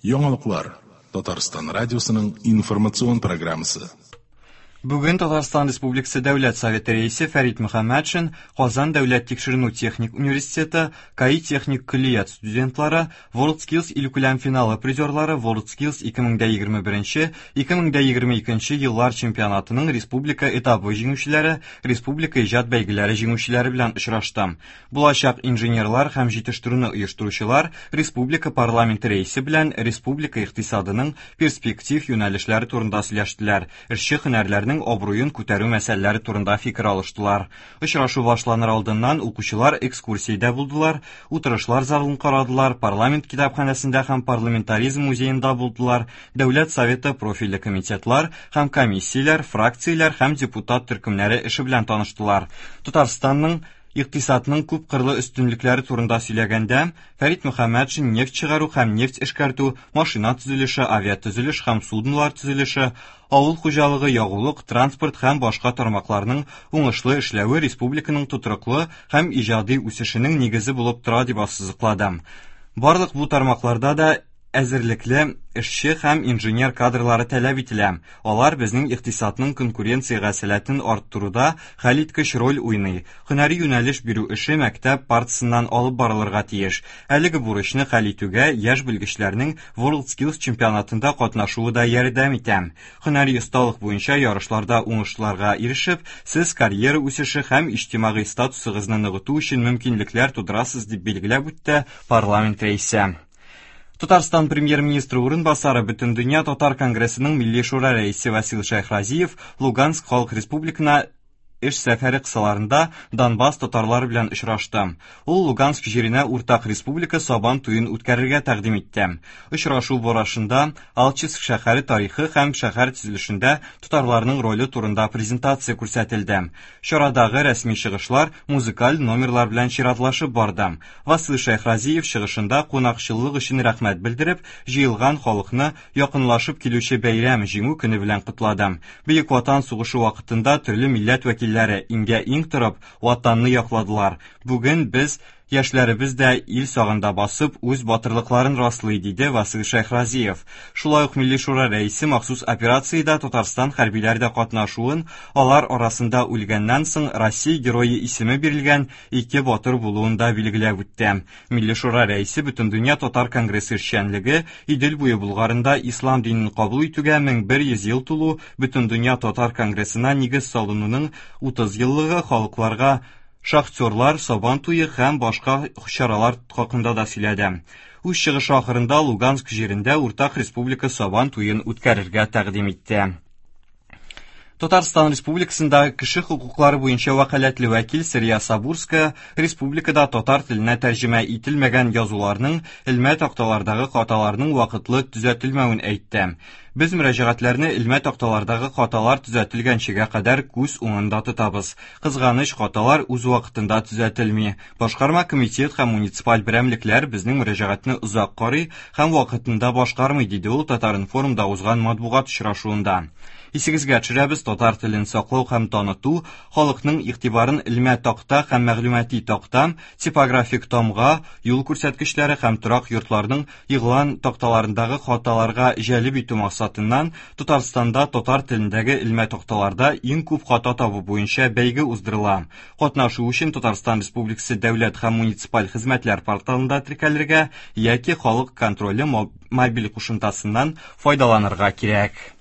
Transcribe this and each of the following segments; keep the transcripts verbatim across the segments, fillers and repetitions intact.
Яңалыклар Татарстан радиосының информацион программасы. Бүген Татарстан Республикасы Дәүләт Советы рәисе Фәрит Мөхәммәтшин Казан дәүләт тикшеренү техник университеты КАИ техник көллият студентлары, WorldSkills илкүләм финалы призерлары, WorldSkills ике мең дә егерме беренче, ике мең дә егерме икенче еллар чемпионатының республика этабы җиңүчеләре, республика иҗат бәйгеләре җиңүчеләре белән очрашты. Булачак инженерлар һәм җитештерүне оештыручылар республика парламенты рәисе белән республика икътисадының перспектив юнәлешләре турында сөйләштеләр. Эшче һөнәрләрнең абруен күтәрү мәсьәләләре турында фикер алыштылар. Очрашу башланыр алдыннан укучылар экскурсиядә булдылар, утырышлар залын карадылар, парламент китапханәсендә һәм парламентаризм музеенда булдылар, Дәүләт Советы профильле комитетлар һәм комиссияләр, фракцияләр һәм депутат төркемнәре эше белән таныштылар. Татарстанның икътисадның күп кырлы өстенлекләре турында сөйләгәндә, Фәрит Мөхәммәтшин нефть чыгару һәм нефть эшкәртү, машина төзелеше, авиатөзелеш һәм суднолар төзелеше, авыл хуҗалыгы, ягулык, транспорт һәм башка тармакларның уңышлы эшләве республиканың тотрыклы һәм иҗади үсешенең нигезе булып тора дип ассызыклады. Барлык бу тармакларда да әзерлекле эшче һәм инженер кадрлары таләп ителә. Алар безнең икътисадның конкуренциягә сәләтен арттыруда хәлиткеч роль уйный. Һөнәри юнәлеш бирү эше мәктәп партисыннан алып барылырга тиеш. Әлеге бурычны хәл итүгә яшь белгечләрнең WorldSkills чемпионатында катнашуы да ярдәм итә. Һөнәри осталык буенча ярышларда уңышларга ирешеп, сез карьера үсеше һәм иҗтимагый статусыгызны ныгыту өчен мөмкинлекләр тудырасыз, дип билгеләп үтте парламент рәисе. Татарстан премьер-министры урынбасары Бөтендөнья Татар конгрессының Милли шура рәисе Васил Шәйхразиев Луганск Халык Республикасына эш сәфәре кысаларында Донбасс татарлары белән очрашты. Ул Луганск җиренә уртак республика Сабан туен үткәрергә тәкъдим итте. Очрашу барышында Алчевск шәһәре тарихы һәм шәһәр төзелешендә татарларның роле турында презентация күрсәтелде. Чарадагы рәсми чыгышлар музыкаль номерлар белән чиратлашып барды. Васил Шәйхразиев чыгышында кунакчыллык өчен рәхмәт белдереп, җыелган халыкны якынлашып килүче бәйрәм Җиңү көне белән котлады. Бөек Ватан сугышы вакытында төрле милләт вәкилләре иңгә иң торып ватанны якладылар. Бүген без яшьләребез дә ил сагында басып үз батырлыкларын раслый, диде Васил Шәйхразиев. Шулай ук Милли шура рәисе махсус операциядә Татарстан хәрбиләре дә катнашуын, алар арасында үлгәннән соң Россия герое исеме бирелгән ике батыр булуын да билгеләп үтте. Милли шура рәисе Бөтендөнья Татар конгрессы эшчәнлеге Идел буе Булгарында ислам динен кабул итүгә мең бер йөз ел тулу, Бөтендөнья Татар конгрессына нигез салынуның утыз еллыгы, халыкларга шахтерлар, Сабан туе һәм башка чаралар хакында да сөйләде. Үз чыгышы ахырында Луганск җирендә уртак республика Сабан туен үткәрергә тәкъдим итте. Татарстан Республикасында кеше хокуклары буенча вәкаләтле вәкил Сәрия Сабурская республикада татар теленә тәрҗемә ителмәгән язуларның элмә такталардагы хаталарның вакытлы төзәтелмәвен әйтте. Без мөрәҗәгатьләрне элмә такталардагы хаталар төзәтелгәнчегә кадәр күз уңында тотабыз. Кызганыч, хаталар үз вакытында төзәтелми. Башкарма комитет һәм муниципаль берәмлекләр безнең мөрәҗәгатьне озак карый һәм вакытында башкармый, диде ул Татар-информда узган матбугат очрашуында. Исегезгә төшерәбез, татар телен саклау һәм таныту, халыкның игътибарын элмә такта һәм мәгълүмати такта, типографик тамга, юл күрсәткечләре һәм торак йортларның игълан такталарындагы хаталарга җәлеп итү максатыннан Татарстанда татар телендәге элмә такталарда иң күп хата табу буенча бәйге уздырыла. Катнашу өчен Татарстан Республикасы дәүләт һәм муниципаль хезмәтләр порталында теркәлергә яки халык контроле мобиль кушымтасыннан файдаланырга кирәк.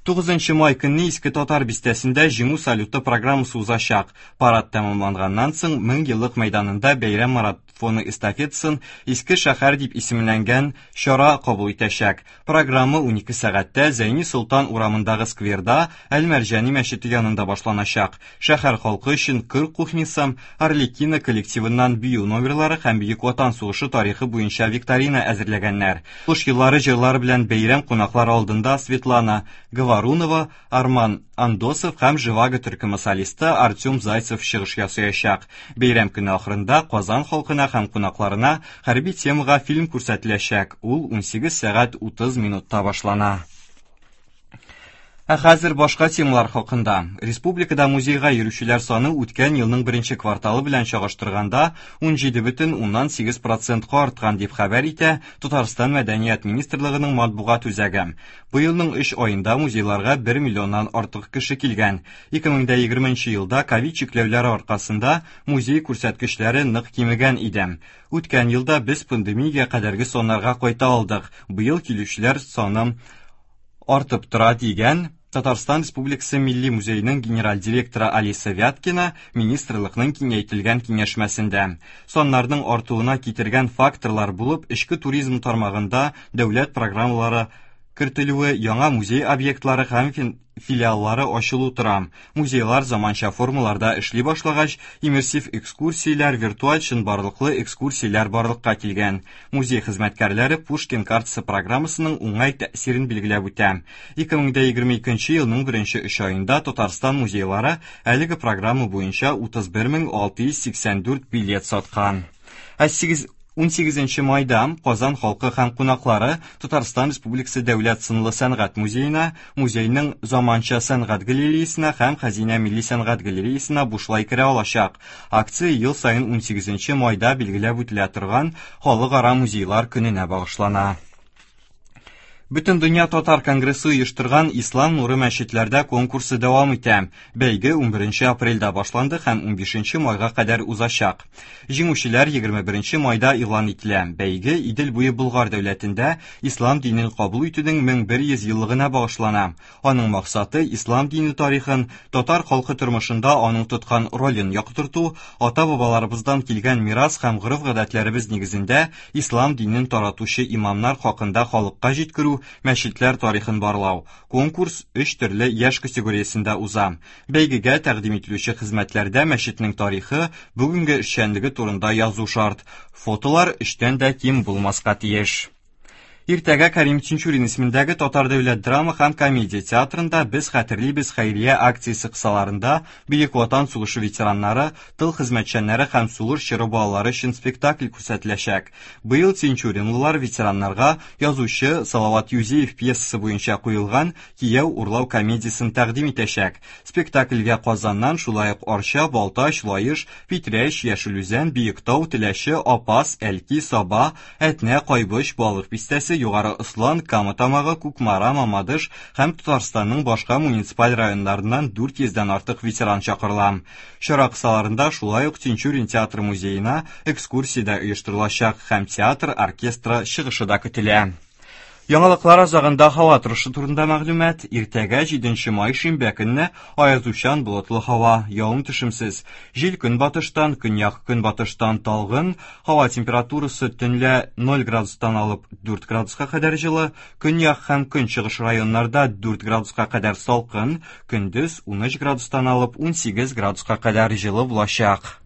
Тугызынчы май көнне Иске Татар бистәсендә Җиңү салюты программасы узачак. Парад тәмамланганнан соң мең еллык мәйданында бәйрәм марафоны эстафетасын Иске шәһәр дип исемләнгән чара кабул итәчәк. Программа унике сәгатьтә Зәйни Солтан урамындагы скверда Әл-Мәрҗани мәчете янында башланачак. Шәһәр халкы өчен кыр кухнясы, Арлекино коллективыннан бию номерлары һәм Бөек Ватан сугышы тарихы буенча викторина әзерләгәннәр. Сугыш еллары җырлары белән бәйрәм кунаклары алдында Светлана Говорунова, Арман Андосов һәм Живаго төркеме солисты Артем Зайцев чыгыш ясаячак. Бәйрәм көне ахырында Казан халкына һәм кунакларына хәрби темага фильм күрсәтеләчәк. Ул унсигез сәгать утыз минутта башлана. Ә хәзер башка темалар хакында. Республикада музейга йөрүчеләр саны үткән елның беренче кварталы белән чагыштырганда ун җиде бөтен уннан сигез процентка арткан дип хәбәр итә Татарстан Мәдәният министрлыгының матбугат үзәге. Быелның өч аенда музейларга бер миллионнан артык кеше килгән. ике мең дә егерменче елда ковид чикләүләре аркасында музей күрсәткечләре нык кимегән иде. Үткән елда без пандемиягә кадәрге саннарга кайта алдык. Быел килүчеләр саны артып тора дигән Татарстан Республикасы Милли музееның генераль директоры Алиса Вяткина министрлыкның киңәйтелгән киңәшмәсендә. Саннарның артуына китергән факторлар булып эчке туризм тармагында дәүләт программалары кертелүе, яңа музей объектлары һәм филиаллары ачылу тора. Музейлар заманча формаларда эшли башлагач, иммерсив экскурсияләр, виртуаль чынбарлыклы экскурсияләр барлыкка килгән. Музей хезмәткәрләре Пушкин картасы программасының уңай тәэсирен билгеләп үтә. ике мең дә егерме икенче елның беренче өч аенда Татарстан музейлары әлеге программа буенча утыз бер мең алты йөз сиксән дүрт билет саткан. Ә сигез ун сигезенче майда Казан халкы һәм кунаклары Татарстан Республикасы Дәүләт сынлы сәнгать музеена, музейның заманча сәнгать галереясына һәм Хәзинә милли сәнгать галереясына бушлай керә алачак. Акция ел саен ун сигезенче майда билгеләп үтелә торган Халыкара музейлар көненә багышлана. Бөтен дөнья татар конгрессы оештырган Ислам нуры мәчетләрдә конкурсы дәвам итә. Бәйге ун беренче апрельдә башланды һәм ун бишенче майга кадәр узачак. Җиңүчеләр егерме беренче майда игълан ителә. Бәйге Идел буе Болгар дәүләтендә ислам динен кабул итүнең мең бер йөз еллыгына багышлана. Аның максаты ислам дине тарихын, татар халкы тормышында аның тоткан ролен яктырту, ата-бабаларыбыздан килгән мирас һәм гореф-гадәтләребез нигезендә ислам динен таратучы имамнар хакында халыкка җиткерү, мәчетләр тарихын барлау. Конкурс өч төрле яшь категориясендә уза. Бәйгегә тәкъдим ителүче хезмәтләрдә мәчетнең тарихы, бүгенге эшчәнлеге турында язу шарт. Фотолар өчтән дә ким булмаска тиеш. Иртәгә Карим Тинчурин исемендәге Татар дәүләт драма һәм комедия театрында Без хәтерлибез хәйрия акциясе кысаларында Бөек Ватан сугышы ветераннары, тыл хезмәтчәннәре һәм сугыш чоры балалары өчен спектакль күрсәтеләчәк. Быел тинчуринлылар ветераннарга язучы Салават Юзеев пьесасы буенча куелган Кияү урлау комедиясен тәкъдим итәчәк. Спектакльгә Казаннан шулай ук Арча, Балтач, Лаеш, Питрәч, Яшел Үзән, Биектау, Теләче, Апас, Әлки, Саба, Әтнә, Кайбыч, Балык Бистәсе, Югары Ослан, Кама Тамагы, Кукмара, Мамадыш һәм Татарстанның башка муниципаль районнарыннан дүрт йөздән артык ветеран чакырыла. Чара кысаларында шулай ук Тинчурин театр музеена экскурсия дә оештырылачак һәм театр оркестры чыгышы да көтелә. Яңалыклар азагында һава торышы турында мәгълүмат. Иртәгә җиденче май шимбә көнне аязучан болытлы һава, явым-төшемсез. Җил көнбатыштан, көньяк көнбатыштан талгын, һава температурасы төнлә ноль градустан алып дүрт градуска кадәр җылы, көньяк һәм көнчыгыш районнарда дүрт градуска кадәр салкын, көндез унөч градустан алып унсигез градуска кадәр җылы булачак.